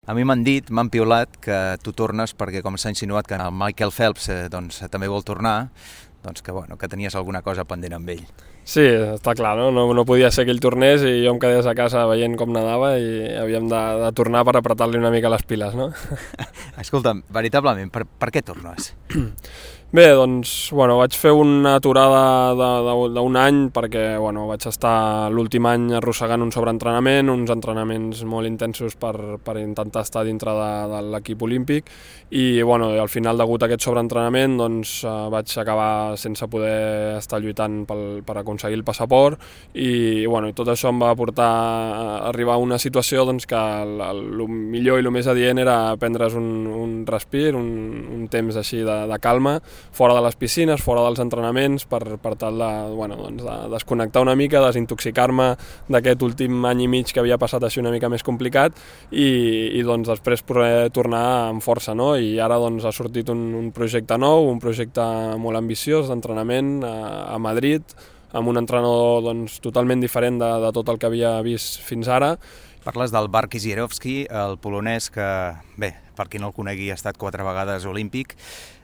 A mi m'han dit, m'han piulat que tu tornes perquè, com s'ha insinuat que el Michael Phelps també vol tornar, doncs que tenies alguna cosa pendent amb ell. Sí, està clar, no? No podia ser que ell tornés i jo em quedés a casa veient com nedava i havíem de tornar per apretar-li una mica les piles, no? Escolta'm, veritablement, per què tornes? Bé, doncs, vaig fer una aturada d'un any perquè, vaig estar l'últim any arrossegant un sobreentrenament, uns entrenaments molt intensos per intentar estar dintre de l'equip olímpic i, al final, degut a aquest sobreentrenament, doncs, vaig acabar sense poder estar lluitant per aconseguir el passaport i, tot això em va portar a arribar a una situació doncs, que el millor i el més adient era prendre's un respir, un temps així de calma, fora de les piscines, fora dels entrenaments, per tal de desconnectar una mica, desintoxicar-me d'aquest últim any i mig que havia passat així una mica més complicat i doncs després poder tornar amb força, no? I ara doncs ha sortit un projecte nou, un projecte molt ambiciós d'entrenament a Madrid, amb un entrenador doncs, totalment diferent de tot el que havia vist fins ara. Parles del Bark Kizierowski, el polonès que, bé, per qui no el conegui, ha estat 4 vegades olímpic.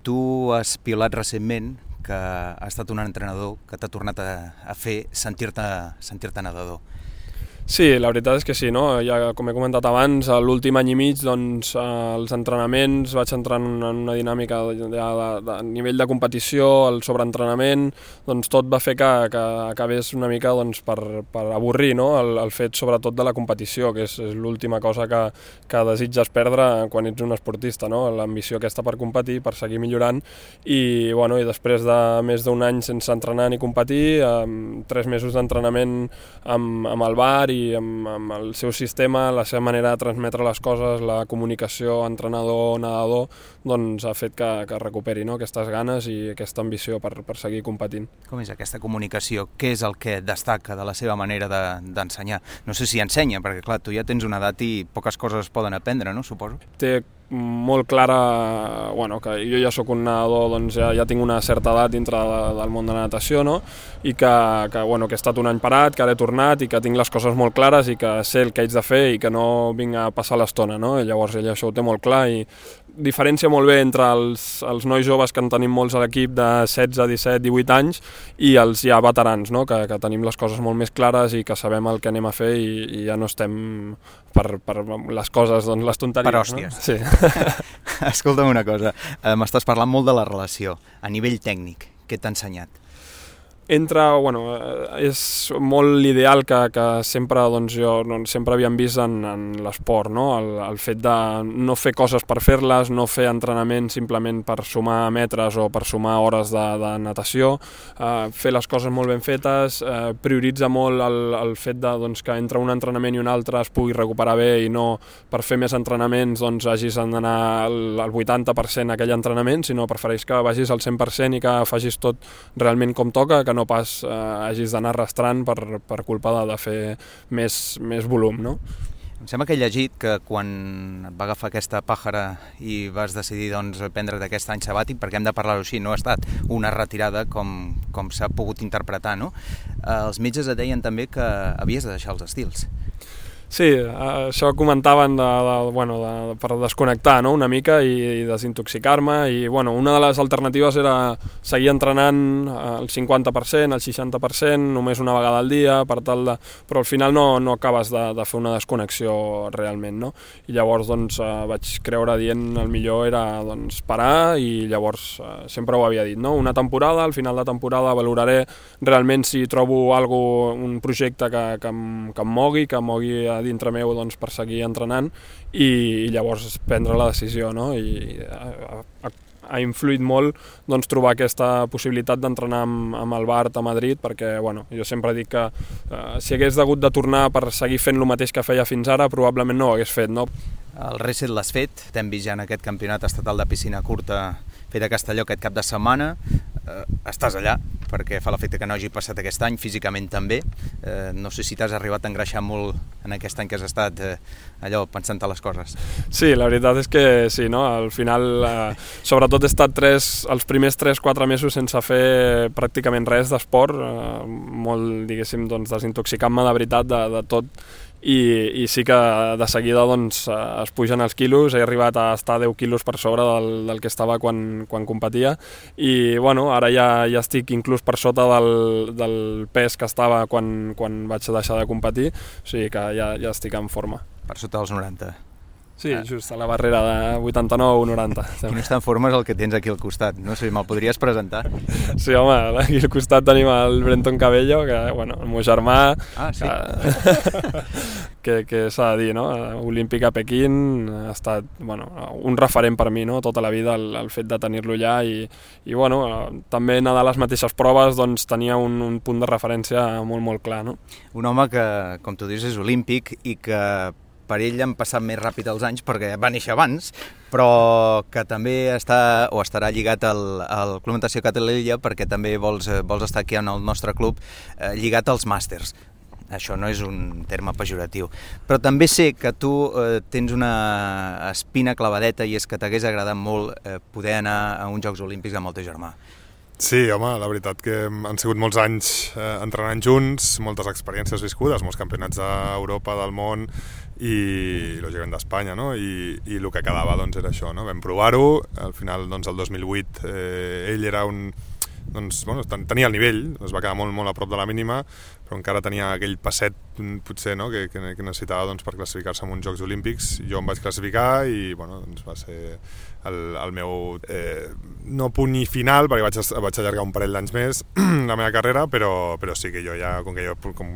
Tu has piulat recentment que ha estat un entrenador que t'ha tornat a fer sentir-te nedador. Sí, la veritat és que sí, no? Ja, com he comentat abans, l'últim any i mig, doncs, els entrenaments, vaig entrar en una dinàmica de nivell de competició, el sobreentrenament, doncs tot va fer que acabés una mica doncs, per avorrir, no? El fet sobretot de la competició, que és l'última cosa que desitges perdre quan ets un esportista, no? L'ambició aquesta per competir, per seguir millorant, i després de més d'un any sense entrenar ni competir, 3 mesos d'entrenament amb el bar i amb el seu sistema, la seva manera de transmetre les coses, la comunicació entrenador-nedador, doncs ha fet que recuperi, no? Aquestes ganes i aquesta ambició per seguir competint. Com és aquesta comunicació? Què és el que destaca de la seva manera d'ensenyar? No sé si ensenya, perquè clar, tu ja tens una edat i poques coses es poden aprendre, no? Suposo. Té molt clara, que jo ja sóc un nedador, doncs ja tinc una certa edat dintre del món de la natació, no? I que he estat un any parat, que ara he tornat i que tinc les coses molt clares i que sé el que haig de fer i que no vinc a passar l'estona, no? I llavors ell això ho té molt clar i diferència molt bé entre els nois joves que en tenim molts a l'equip de 16, 17, 18 anys i els ja veterans, no? Que tenim les coses molt més clares i que sabem el que anem a fer i ja no estem per les coses, doncs les tonteries. Per hòsties. No? Sí. Escolta'm una cosa, m'estàs parlant molt de la relació. A nivell tècnic, què t'ha ensenyat? És molt l'ideal que sempre jo sempre havíem vist en l'esport, no? El fet de no fer coses per fer-les, no fer entrenament simplement per sumar metres o per sumar hores de natació, fer les coses molt ben fetes, prioritza molt el fet que entre un entrenament i un altre es pugui recuperar bé i no per fer més entrenaments hagis d'anar al 80% a aquell entrenament, sinó prefereix que vagis al 100% i que facis tot realment com toca, que no pas hagis d'anar arrastrant per culpa de fer més volum, no? Em sembla que he llegit que quan et va agafar aquesta pàjara i vas decidir prendre't aquest any sabàtic, perquè hem de parlar-ho així, no ha estat una retirada com s'ha pogut interpretar, no? Els metges et deien també que havies de deixar els estils. Sí, això comentaven per desconnectar, no? Una mica i desintoxicar-me i una de les alternatives era seguir entrenant al 50%, al 60%, només una vegada al dia, però al final no acabes de fer una desconnexió realment, no? I llavors vaig creure dient el millor era parar i llavors sempre ho havia dit, no? Una temporada, al final de temporada valoraré realment si trobo un projecte que em mogui a dintre meu per seguir entrenant i llavors prendre la decisió, no? I ha influït molt trobar aquesta possibilitat d'entrenar amb el Bart a Madrid perquè jo sempre dic que si hagués hagut de tornar per seguir fent el mateix que feia fins ara probablement no ho hagués fet, no? El reset l'has fet, t'hem vist ja en aquest campionat estatal de piscina curta fet a Castelló aquest cap de setmana, estàs allà, perquè fa l'efecte que no hagi passat aquest any, físicament també. No sé si t'has arribat a engreixar molt en aquest any que has estat allò pensant a les coses. Sí, la veritat és que sí, no? Al final, sobretot he estat els primers 3-4 mesos sense fer pràcticament res d'esport, molt, diguéssim, doncs, desintoxicant-me de veritat de tot, i sí que de seguida doncs, es pugen els quilos. He arribat a estar 10 quilos per sobre del que estava quan competia, i bueno, ara ja estic inclús per sota del pes que estava quan vaig deixar de competir, o sigui que ja estic en forma. Per sota dels 90. Sí, just a la barrera de 89-90. Quines tan formes el que tens aquí al costat? No sé, me'l podries presentar? Sí, home, aquí al costat tenim el Brenton Cabello, que, bueno, el meu germà... Ah, sí? Que s'ha de dir, no? Olímpic a Pequín ha estat, bueno, un referent per mi, no? Tota la vida, el fet de tenir-lo allà, i bueno, també nedar les mateixes proves, doncs tenia un punt de referència molt, molt clar, no? Un home que, com tu dius, és olímpic i que per ell han passat més ràpid els anys perquè va néixer abans, però que també està o estarà lligat al Club Natació Calella perquè també vols estar aquí en el nostre club lligat als màsters. Això no és un terme pejoratiu. Però també sé que tu tens una espina clavadeta i és que t'hagués agradat molt poder anar a uns Jocs Olímpics amb el teu germà. Sí, home, la veritat que han sigut molts anys entrenant junts, moltes experiències viscudes, molts campionats d'Europa, del món i lògicament d'Espanya, no? I el que quedava doncs era això, no? Vam provar-ho, al final doncs el 2008 ell era doncs, bueno, tenia el nivell, es va quedar molt, molt a prop de la mínima, però encara tenia aquell passet potser, no? que necessitava doncs, per classificar-se en uns Jocs Olímpics. Jo em vaig classificar i bueno, doncs va ser el meu no punt final, perquè vaig allargar un parell d'anys més la meva carrera, però sí que jo ja, com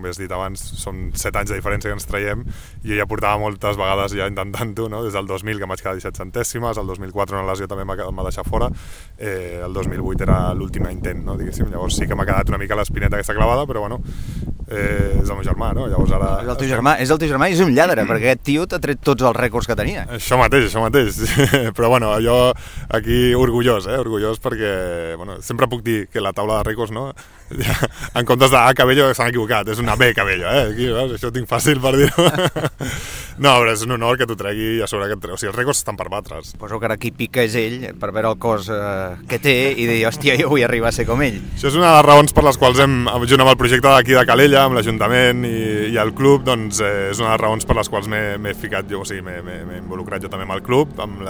has dit abans, són 7 anys de diferència que ens traiem, i jo ja portava moltes vegades ja intentant-ho, no? Des del 2000 que em vaig quedar 17 centèsimes, el 2004 una lesió també em va deixar fora, el 2008 era l'últim intent, no? Diguéssim. Llavors sí que m'ha quedat una mica l'espineta aquesta clavada, però bueno, és el meu germà, no? Llavors ara... És el teu germà i és un lladre, perquè aquest tio t'ha tret tots els rècords que tenia. Això mateix. Però bueno, jo aquí orgullós perquè, bueno, sempre puc dir que la taula de rècords, no? En comptes de A Cabello s'han equivocat, és una B Cabello, aquí, veus? Això ho tinc fàcil per dir-ho. No, però és un honor que t'ho tregui i a sobre que et tregui. O sigui, els rècords estan per batre's. Suposo que ara qui pica és ell, per veure el cos que té i dir, hòstia, jo vull arribar a ser com ell. Això és una de les raons per les quals junt amb el projecte d'aquí de Calella, amb l'Ajuntament i el club, doncs és una de les raons per les quals m'he ficat jo, o sigui, m'he involucrat jo també amb el club, amb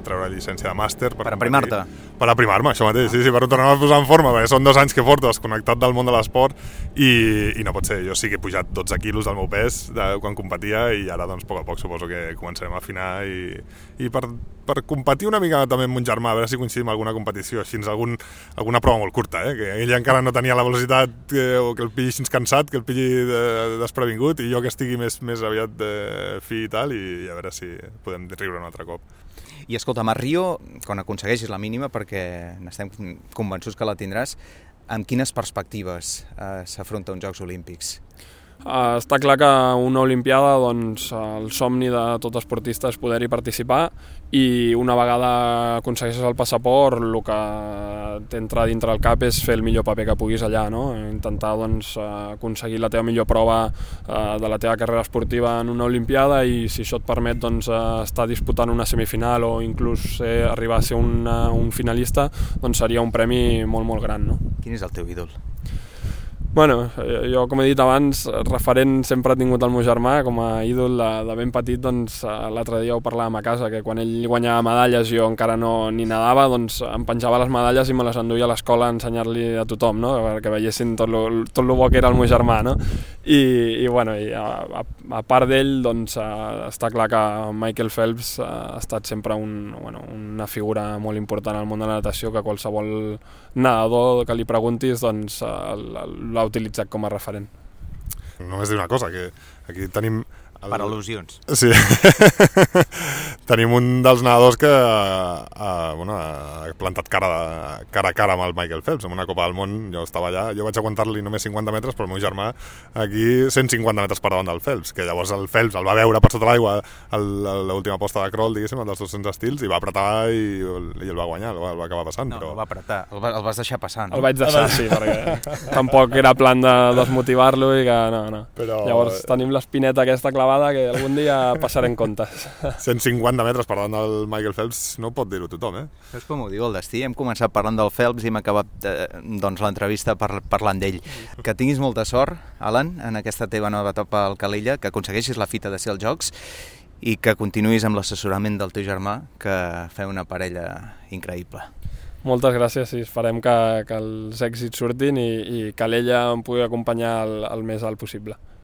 treure la llicència de màster. Per aprimar-te? Per aprimar-me, això mateix, sí, per tornar a posar en forma, perquè són 2 anys que porto desconnectat del món de l'esport i no pot ser. Jo sí que he pujat 12 quilos del meu pes quan competia i ara doncs a poc suposo que començarem a afinar i per competir una mica també amb mon germà, a veure si coincidim en alguna competició, així alguna prova molt curta, que ell encara no tenia la velocitat o que el pilli així cansat, que el pilli desprevingut, i jo que estigui més aviat fi i tal, i a veure si podem riure un altre cop. I escolta'm, a Rio, quan aconsegueixis la mínima, perquè n'estem convençuts que la tindràs, amb quines perspectives s'afronta uns Jocs Olímpics? Està clar que una Olimpiada, doncs, el somni de tot esportista és poder-hi participar, i una vegada aconsegueixes el passaport, el que t'entra dintre el cap és fer el millor paper que puguis allà, no? Intentar doncs, aconseguir la teva millor prova de la teva carrera esportiva en una Olimpiada, i si això et permet doncs, estar disputant una semifinal o inclús arribar a ser un finalista, doncs seria un premi molt, molt gran, no? Quin és el teu ídol? Bueno, jo, com he dit abans, referent sempre he tingut el meu germà com a ídol de ben petit. Doncs l'altre dia ho parlàvem a casa, que quan ell guanyava medalles jo encara ni nedava, doncs em penjava les medalles i me les enduia a l'escola a ensenyar-li a tothom, no? Perquè veiessin tot lo bo que era el meu germà, no? I bueno, a part d'ell, doncs està clar que Michael Phelps ha estat sempre una figura molt important al món de la natació, que qualsevol nedador que li preguntis doncs l'ha utilitzat com a referent. Només dir una cosa, que aquí tenim... Per al·lusions. Sí. tenim un dels nedadors que ha plantat cara a cara amb el Michael Phelps en una Copa del Món. Jo estava allà, jo vaig aguantar-li només 50 metres, però el meu germà aquí 150 metres per davant del Phelps, que llavors el Phelps el va veure per sota l'aigua a l'última posta de crawl, diguéssim, el dels 200 estils, i va apretar i el va guanyar, el va acabar passant. No, però... el va apretar, el vas deixar passar, no? El vaig deixar, sí, perquè tampoc era plan de desmotivar-lo i que no. Però... Llavors tenim l'espineta aquesta clavada que algun dia passarem comptes. 150 metres per davant del Michael Phelps no pot dir-ho tothom, eh? És com ho diu el destí, hem començat parlant del Phelps i hem acabat l'entrevista parlant d'ell. Que tinguis molta sort, Alan, en aquesta teva nova etapa al Calella, que aconsegueixis la fita de ser als Jocs i que continuïs amb l'assessorament del teu germà, que feu una parella increïble. Moltes gràcies, sí, esperem que els èxits surtin i Calella em pugui acompanyar el més alt possible.